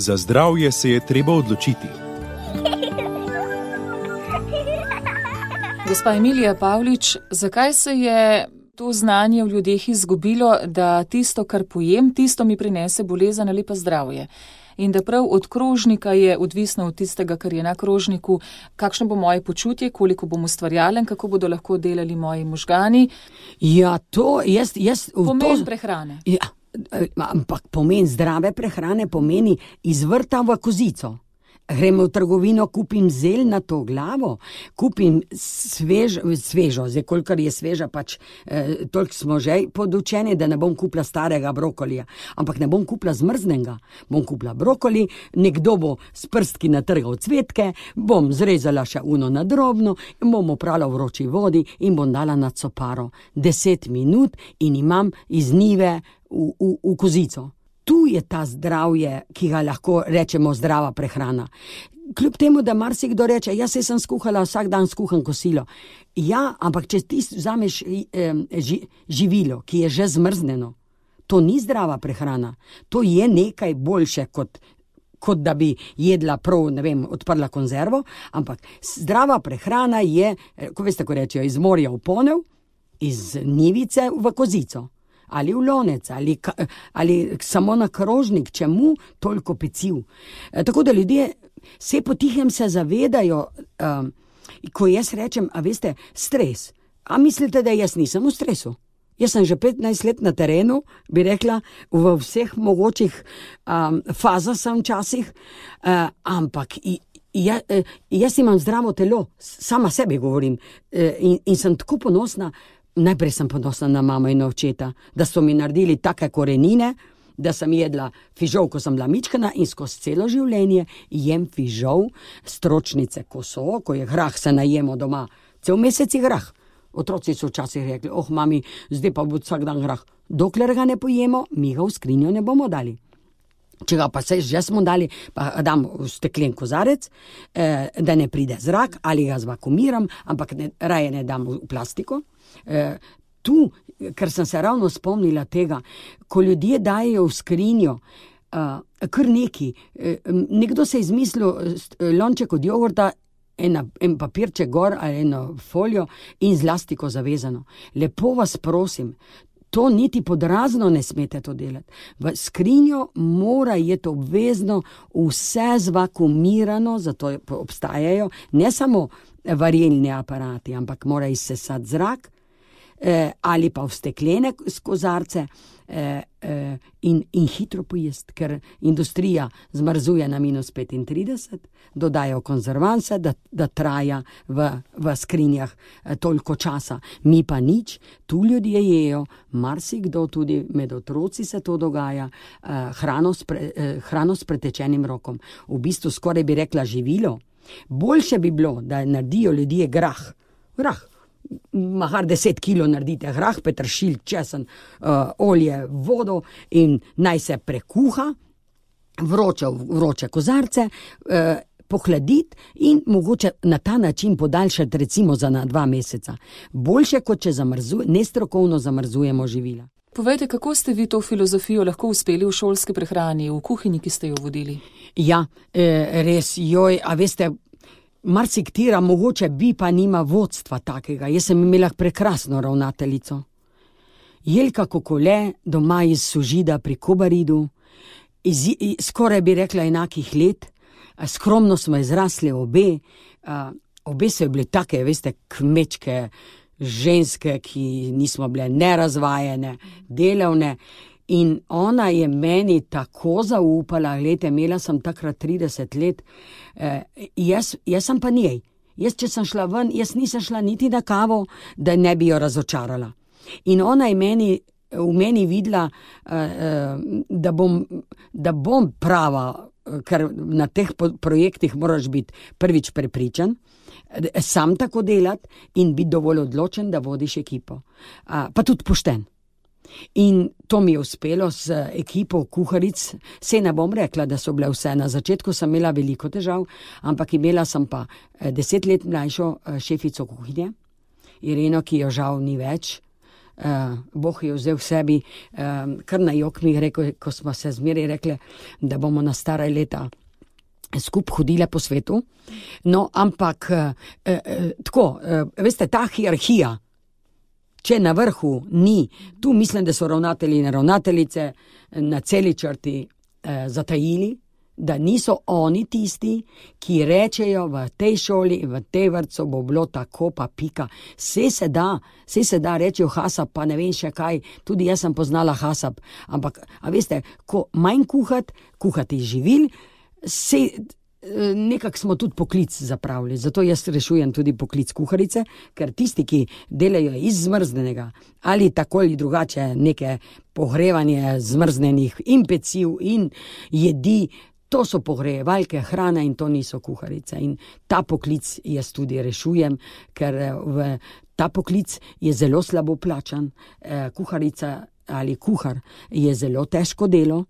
Za zdravje se je treba odločiti. Gospa Emilija Pavlič, zakaj se je to znanje v ljudeh izgubilo, da tisto, kar pojem, tisto mi prinese bolezen ali pa zdravje? In da prav od krožnika je odvisno od tistega, kar je na krožniku, kakšno bo moje počutje, koliko bom ustvarjalen, kako bodo lahko delali moji možgani. Ja, to pomen prehrane. Ja, ampak pomen zdrave prehrane pomeni iz vrta v kozico. Gremo v trgovino, kupim zeljnato glavo, kupim svežo, zdaj kolikor je sveža, pač toliko smo že podučeni, da ne bom kupila starega brokolija, ampak ne bom kupila zmrznega, bom kupila brokoli, nekdo bo s prstki natrgal cvetke, bom zrezala še uno na drobno, bom oprala v vroči vodi in bom dala na coparo 10 minut in imam iz njive v kozico. Tu je ta zdravje, ki ga lahko rečemo zdrava prehrana. Kljub temu, da marsikdo reče, jaz sem skuhala, vsak dan skuham kosilo. Ja, ampak če ti vzameš živilo, ki je že zmrznjeno, to ni zdrava prehrana. To je nekaj boljše, kot da bi jedla prav, ne vem, odprla konzervo, ampak zdrava prehrana je, ko veste, ko rečejo, iz morja v ponev, iz njivice v kozico. Ali v lonec, ali samo na krožnik, čemu toliko peciv. Tako da ljudje se potihem se zavedajo, ko jaz rečem, a veste, stres. A mislite, da jaz nisem v stresu? Jaz sem že 15 let na terenu, bi rekla, v vseh mogočih fazah sem včasih, ampak jaz imam zdravo telo, sama sebi govorim, in sem tako ponosna. Najprej sem ponosna na mamo in očeta, da so mi naredili take korenine, da sem jedla fižol, ko sem bila mičkana in skozi celo življenje jem fižol, stročnice, ko je grah, se najemo doma. Cel mesec je grah. Otroci so včasih rekli, mami, zdaj pa bo vsak dan grah. Dokler ga ne pojemo, mi ga v skrinjo ne bomo dali. Če ga pa se že smo dali, pa dam v steklen kozarec, da ne pride zrak, ali ga zvakumiram, ampak raje ne dam v plastiko. Tu, ker sem se ravno spomnila tega, ko ljudje dajejo v skrinjo kar neki, nekdo se je izmislil lonček od jogurta, en papirček gor ali eno folijo in z lastiko zavezano. Lepo vas prosim, to niti pod razno ne smete to delati. V skrinjo mora je to obvezno vse zvakumirano, zato obstajajo ne samo varilni aparati, ampak mora izsesati zrak, ali pa v steklene kozarce in hitro pojesti, ker industrija zmrzuje na -35, dodajo konzervanse, da traja v skrinjah toliko časa. Mi pa nič, tu ljudje jejo, marsikdo tudi med otroci se to dogaja, hrano s pretečenim rokom. V bistvu skoraj bi rekla živilo. Boljše bi bilo, da naredijo ljudje grah, mahar 10 kilo naredite grah, peteršilj, česen, olje, vodo in naj se prekuha, vroče kozarce, pohladiti in mogoče na ta način podaljšati recimo za 2 meseca. Boljše, kot če nestrokovno zamrzujemo živila. Povejte, kako ste vi to filozofijo lahko uspeli v šolski prehrani, v kuhinji, ki ste jo vodili? Ja, res, a veste, marsiktira mogoče bi pa nima vodstva takega. Jaz sem imela prekrasno ravnateljico. Jelka Kokole, doma iz Sožida pri Kobaridu, skoraj bi rekla enakih let, skromno smo izrasli obe so bile take, veste, kmečke ženske, ki nismo bile nerazvajene, delavne. In ona je meni tako zaupala, glede, imela sem takrat 30 let, jaz sem pa njej. Če sem šla ven, jaz nisem šla niti na kavo, da ne bi jo razočarala. In ona je v meni videla, da bom prava, ker na teh projektih moraš biti prvič prepričan, sam tako delati in biti dovolj odločen, da vodiš ekipo. Pa tudi pošten. In to mi je uspelo z ekipo kuharic. Se ne bom rekla, da so bile vse. Na začetku sem imela veliko težav, ampak imela sem pa 10 let mlajšo šefico kuhinje, Ireno, ki jo žal ni več, Bog je vzel v sebi, kar na jok mi rekel, ko smo se zmeraj rekli, da bomo na stara leta skup hodile po svetu. No, ampak tako, veste, ta hierarhija, če na vrhu ni, tu mislim, da so ravnatelji in ravnateljice na celi črti zatajili, da niso oni tisti, ki rečejo v tej šoli, v tej vrtcu bo bilo tako pa pika. Vse se da, rečejo hasab, pa ne vem še kaj, tudi jaz sem poznala hasab, ampak, a veste, ko manj kuhati živil, nekako smo tudi poklic zapravili, zato jaz rešujem tudi poklic kuharice, ker tisti, ki delajo iz zmrznenega ali tako ali drugače neke pogrevanje zmrznenih in peciv in jedi, to so pogrejevalke hrane in to niso kuharice. In ta poklic jaz tudi rešujem, ker ta poklic je zelo slabo plačan. Kuharica ali kuhar je zelo težko delo.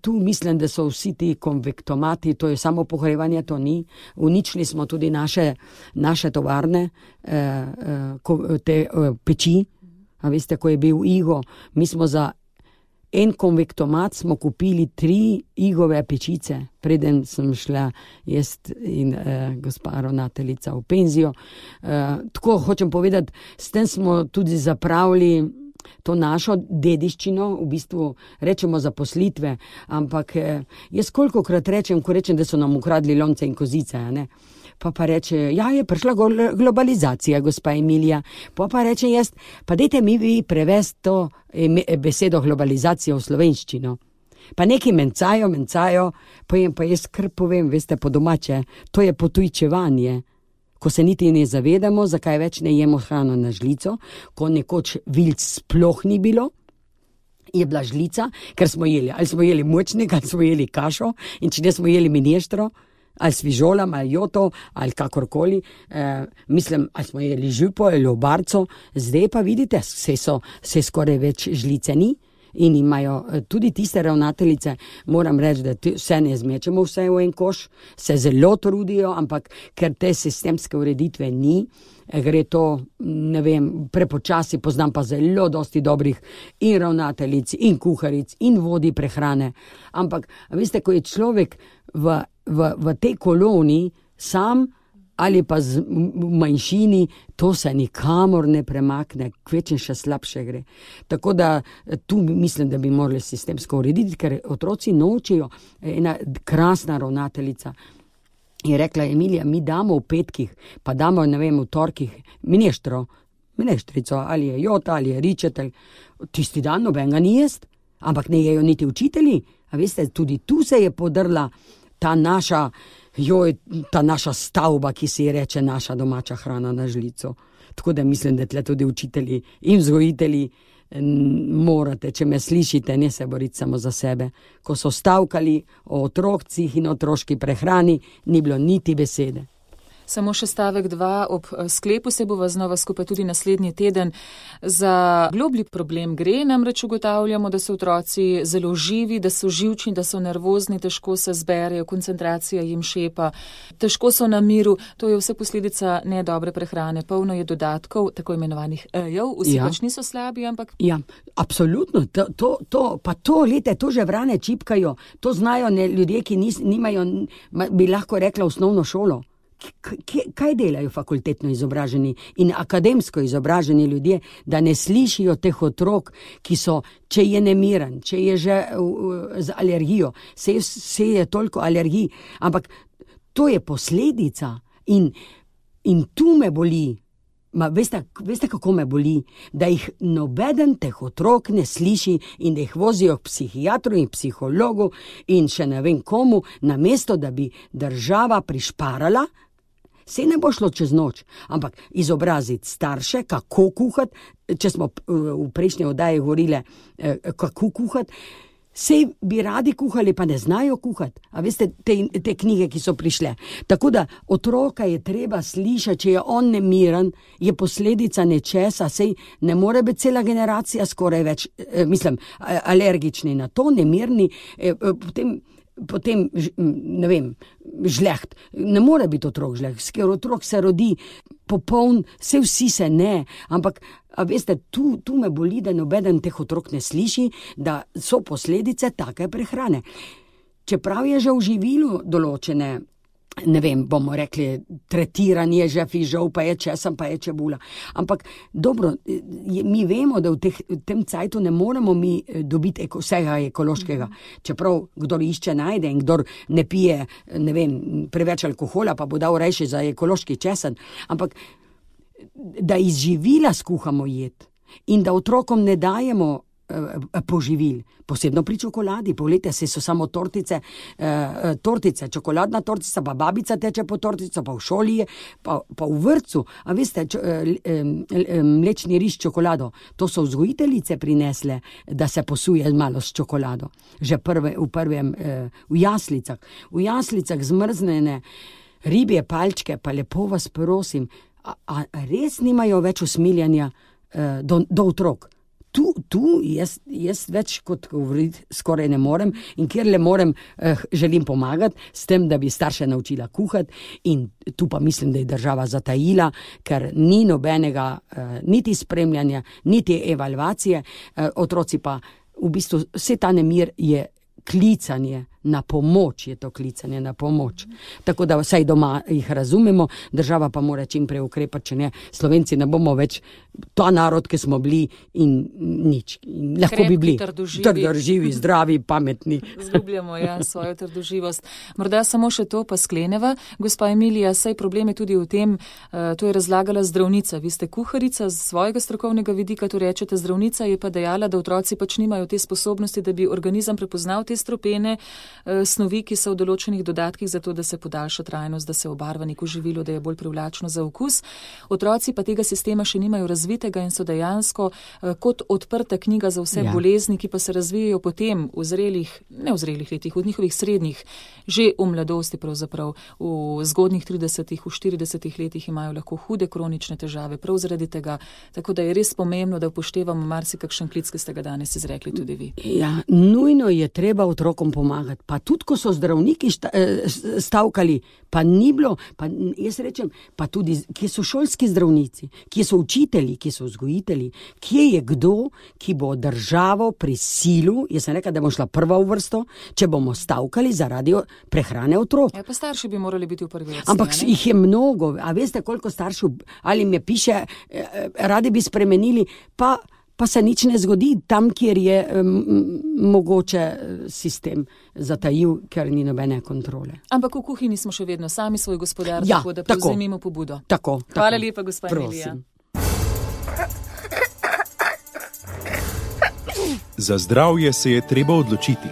Tu mislim, da so vsi ti konvektomati, to je samo pogrevanje, to ni. Uničili smo tudi naše tovarne, te peči. A veste, ko je bil Igo, mi smo za en konvektomat smo kupili 3 Igove pečice, preden sem šla jaz in gospa ravnateljica v penzijo. Tako hočem povedati, s tem smo tudi zapravili to našo dediščino, v bistvu rečemo zaposlitve, ampak jaz kolikokrat rečem, da so nam ukradli lonce in kozice, ne? Pa reče, ja, je prišla globalizacija, gospa Emilija, pa reče jaz, pa dajte mi vi prevesti to besedo globalizacija v slovenščino. Pa neki mencajo, pa jaz kar povem, veste, po domače, to je potujčevanje. Ko se niti ne zavedamo, zakaj več ne jemo hrano na žlico, ko nekoč vilc sploh ni bilo, je bila žlica, ker smo jeli, ali smo jeli močnik, ali smo jeli kašo, in če ne smo jeli mineštro, ali s fižolam, ali joto, ali kakorkoli, mislim, ali smo jeli župo, ali obarco, zdaj pa vidite, se skoraj več žlice ni. In imajo tudi tiste ravnateljice, moram reči, da vse ne zmečemo vse v en koš, se zelo trudijo, ampak ker te sistemske ureditve ni, gre to, ne vem, prepočasi, poznam pa zelo dosti dobrih in ravnateljic, in kuharic, in vodij prehrane. Ampak, veste, ko je človek v tej koloniji sam, ali pa v manjšini, to se nikamor ne premakne, kvečem še slabše gre. Tako da tu mislim, da bi morali sistemsko urediti, ker otroci nočijo. Ena krasna ravnateljica je rekla, Emilija, mi damo v petkih, pa damo, ne vem, v torkih mineštrico, ali je jota, ali je ričetelj. Tisti dan nobenega ni jest, ampak ne jejo niti učitelji. A veste, tudi tu se je podrla ta naša stavba, ki se je reče naša domača hrana na žlico. Tako da mislim, da tle tudi učitelji in vzgojitelji morate, če me slišite, ne se boriti samo za sebe. Ko so stavkali o otrocih in otroški prehrani, ni bilo niti besede. Samo še stavek 2, ob sklepu se bova znova skupaj tudi naslednji teden. Za globlji problem gre, namreč ugotavljamo, da so otroci zelo živi, da so živčni, da so nervozni, težko se zberejo, koncentracija jim šepa, težko so na miru. To je vse posledica nedobre prehrane. Polno je dodatkov, tako imenovanih E-jev, vsi pač niso slabi, ampak... Ja, absolutno. To že vrane čipkajo. To znajo ljudje, ki nimajo, bi lahko rekla, osnovno šolo. Kaj delajo fakultetno izobraženi in akademsko izobraženi ljudje, da ne slišijo teh otrok, ki so, če je nemiren, če je že z alergijo, se je toliko alergij, ampak to je posledica in tu me boli. Veste, kako me boli? Da jih nobeden teh otrok ne sliši in da jih vozijo k psihiatru in psihologu in še ne vem komu, namesto da bi država prišparala. Se ne bo šlo čez noč, ampak izobraziti starše, kako kuhati, če smo v prejšnji oddaji govorili, kako kuhati, sej bi radi kuhali, pa ne znajo kuhati. A veste, te knjige, ki so prišle. Tako da otroka je treba slišati, če je on nemiren, je posledica nečesa, sej ne more biti cela generacija skoraj več, alergični na to, nemirni, potem potem, ne vem, žleht. Ne more biti otrok žleht, ker otrok se rodi popoln, vsi se ne, ampak a veste, tu me boli, da nobeden teh otrok ne sliši, da so posledice take prehrane. Čeprav je že v živilu določene, ne vem, bomo rekli, tretiranje že fižol, pa je česen, pa je čebula. Ampak dobro, mi vemo, da v tem cajtu ne moremo mi dobiti vsega ekološkega. Čeprav kdor išče, najde in kdor ne pije, ne vem, preveč alkohola, pa bo dal rejši za ekološki česen. Ampak da iz živila skuhamo jed in da otrokom ne dajemo poživil, posebno pri čokoladi. Poglejte, so samo tortice, čokoladna tortica, pa babica teče po tortico, pa v šoli je, pa v vrtcu. A veste, mlečni riž s čokolado, to so vzgojiteljice prinesle, da se posuje malo s čokolado. Že v jaslicah. V jaslicah zmrznjene ribje palčke, pa lepo vas prosim, a res nimajo več usmiljanja do otrok? Tu jaz več kot govoriti skoraj ne morem in kjer le morem, želim pomagati s tem, da bi starše naučila kuhati in tu pa mislim, da je država zatajila, ker ni nobenega niti spremljanja, niti evalvacije, otroci pa v bistvu vse ta nemir je klicanje na pomoč, je to klicanje na pomoč. Tako da vsaj doma jih razumemo, država pa mora čim prej ukrepati, če ne, Slovenci ne bomo več ta narod, ki smo bili in nič. In lahko bi bili trdoživi, zdravi, pametni. Zgubljamo, svojo trdoživost. Morda samo še to pa skleneva. Gospa Emilija, saj problem je tudi v tem, to je razlagala zdravnica. Vi ste kuharica z svojega strokovnega vidika, to rečete, zdravnica je pa dejala, da otroci pač nimajo te sposobnosti, da bi organizem prepoznal te stropene snovi, ki so v določenih dodatkih za to, da se podaljša trajnost, da se obarva neko živilo, da je bolj privlačno za okus. Otroci pa tega sistema še nimajo razvitega in so dejansko kot odprta knjiga za vse bolezni, ki pa se razvijajo potem v zrelih, ne v zrelih letih, v njihovih srednjih, že v mladosti pravzaprav, v zgodnjih 30-ih, v 40-ih letih imajo lahko hude kronične težave prav zaradi tega. Tako da je res pomembno, da upoštevamo marsikakšen klic, ki ste ga danes izrekli tudi vi. Ja, nujno je treba otrokom pomagati. Pa tudi, ko so zdravniki stavkali, pa ni bilo, pa jaz rečem, pa tudi, kje so šolski zdravnici, kje so učitelji, kje so vzgojitelji, kje je kdo, ki bo državo prisilil, jaz sem rekla, da bom šla prva v vrsto, če bomo stavkali zaradi prehrane otrok. Ja, pa starši bi morali biti v prvi vrsti. Ampak jih je mnogo, a veste, koliko staršev, ali mi piše, radi bi spremenili, pa se nič ne zgodi tam, kjer je mogoče sistem zatajil, ker ni nobene kontrole. Ampak v kuhinji smo še vedno sami svoj gospodar, tako da prevzemimo pobudo. Tako. Hvala lepa, gospa Emilija. Za zdravje se je treba odločiti.